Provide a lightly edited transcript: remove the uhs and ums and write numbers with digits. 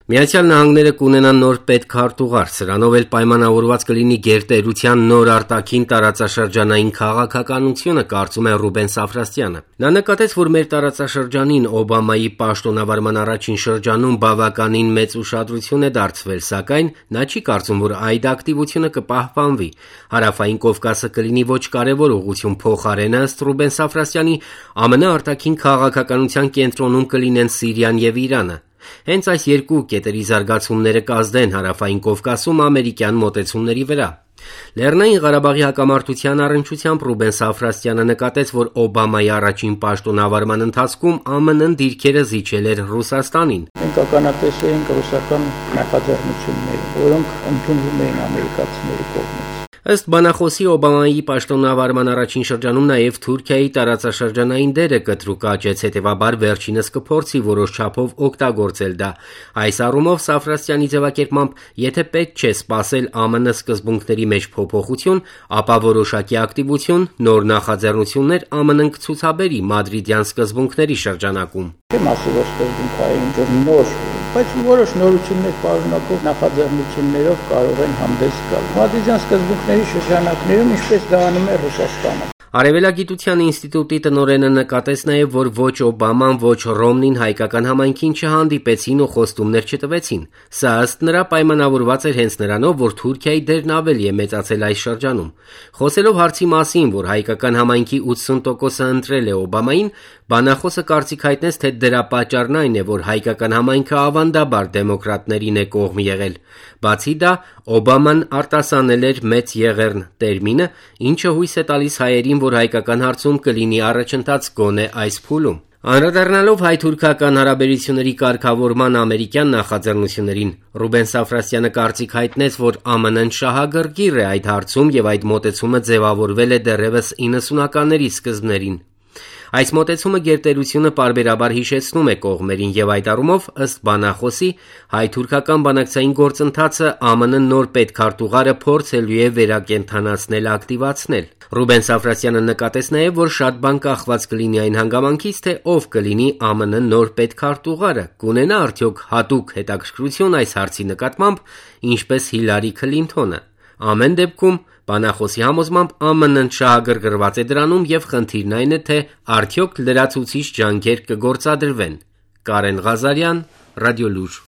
Միացյալ Նահանգները կունենան նոր պետքարտուղար, սրանով էլ պայմանավորված կլինի գերտերության նոր արտաքին տարածաշրջանային քաղաքականությունը, կարծում է Ռուբեն Սաֆրասյանը։ Նա նկատեց, որ մեր տարածաշրջանին Օբամայի պաշտոնավարման առաջին շրջանում բավականին մեծ ուշադրություն է դարձվել, սակայն նա չի կարծում, որ այդ ակտիվությունը կպահպանվի։ Հարավային Կովկասը կլինի ոչ կարևոր ուղղություն, փոխարենը, ըստ Ռուբեն Սաֆրասյանի, ԱՄՆ արտաքին քաղաքականության կենտրոնում կլինեն Սիրիան եւ Իրանը։ Հենց այս երկու կետերի զարգացումները կազդեն Հարավային Կովկասում ամերիկյան մոտեցումների վրա։ Լեռնային Ղարաբաղի հակամարտության առնչությամբ Ռուբեն Սաֆրասյանը նկատեց, որ Օբամայի առաջին պաշտոնավարման ընթացքում ԱՄՆ-ն դիրքերը զիջել էր Ռուսաստանին։ Մենք ականատես էինք ռուսական նախաձեռնությունների, որոնք ընդունվում էին ամերիկացիների կողմից։ Ըստ բանախոսի, Օբամայի պաշտոնավարման առաջին շրջանում նաև Թուրքիայի տարածաշրջանային դերը կտրուկ աճեց, հետևաբար վերջինս կփորձի որոշ չափով օգտագործել դա։ Այս առումով Սաֆրասյանի ձևակերպմամբ, եթե պետք չէ սպասել ԱՄՆ սկզբունքների մեջ փոփոխություն, ապա որոշակի ակտիվություն, նոր նախաձեռնություններ ԱՄՆ-ն կցուցաբերի մադրիդյան սկզբունքների շրջանակում։ Չեմ ասում, որ սկզբունքային նոր, բայց որոշ նորություններ պարունակող նախաձեռնություններով կարող են հանդես գալ։ Մադրիդյան սկզբունքների շրջանակներում ինչպես դա անում է Ռուսաստանը։ Արևելագիտության ինստիտուտի տնօրենը նկատեց նաև, որ ոչ Օբաման, ոչ Ռոմնին հայկական համայնքին չհանդիպեցին ու խոստումներ չտվեցին։ Սա ըստ նրա պայմանավորված էր հենց նրանով, որ Թուրքիայի դերն ավելի է մեծացել այս շրջանում։ Խոսելով հարցի մասին, որ հայկական համայնքի 80%-ը ընտրել է Օբամային, բանախոսը կարծիք հայտնեց, թե դրա պատճառն այն է, որ հայկական համայնքը ավանդաբար դեմոկրատներին է կողմ եղել։ Բացի դա, Օբաման արտասանել էր «մեծ եղեռն» տերմինը, ինչը հույս է տալիս հայերին, որ հայկական հարցում կլինի առաջընթաց գոնե այս փուլում։ Անդրադառնալով հայ-թուրքական հարաբերությունների կարգավորման ամերիկյան նախաձեռնություններին, Ռուբեն Սաֆրասյանը կարծիք հայտնեց, որ ԱՄՆ-ն շահագրգիռ է այդ հարցում եւ այդ մոտեցումը ձևավորվել է դեռևս 90-ականների սկզբներին։ Այս մոտեցումը գերտերությունը պարբերաբար հիշեցնում է կողմերին եւ այդ առումով, ըստ բանախոսի, հայ-թուրքական բանակցային գործընթացը ԱՄՆ նոր պետքարտուղարը փորձելու է վերակենդանացնել, ակտիվացնել։ Ռուբեն Սաֆրասյանը նկատեց նաև, որ շատ բան կախված կլինի այն հանգամանքից, թե ով կլինի ԱՄՆ նոր պետքարտուղարը, կունենա արդյոք հատուկ հետաքրքրություն այս հարցի նկատմամբ, ինչպես Հիլարի Քլինթոնը։ Ամեն դեպքում, բանախոսի համոզմամբ, ԱՄՆ-ն շահագրգռված է դրանում եւ խնդիրն այն է, թե արդյոք լրացուցիչ ջանքեր կգործադրվեն։ Կարեն Ղազարյան, Ռադիոլուր։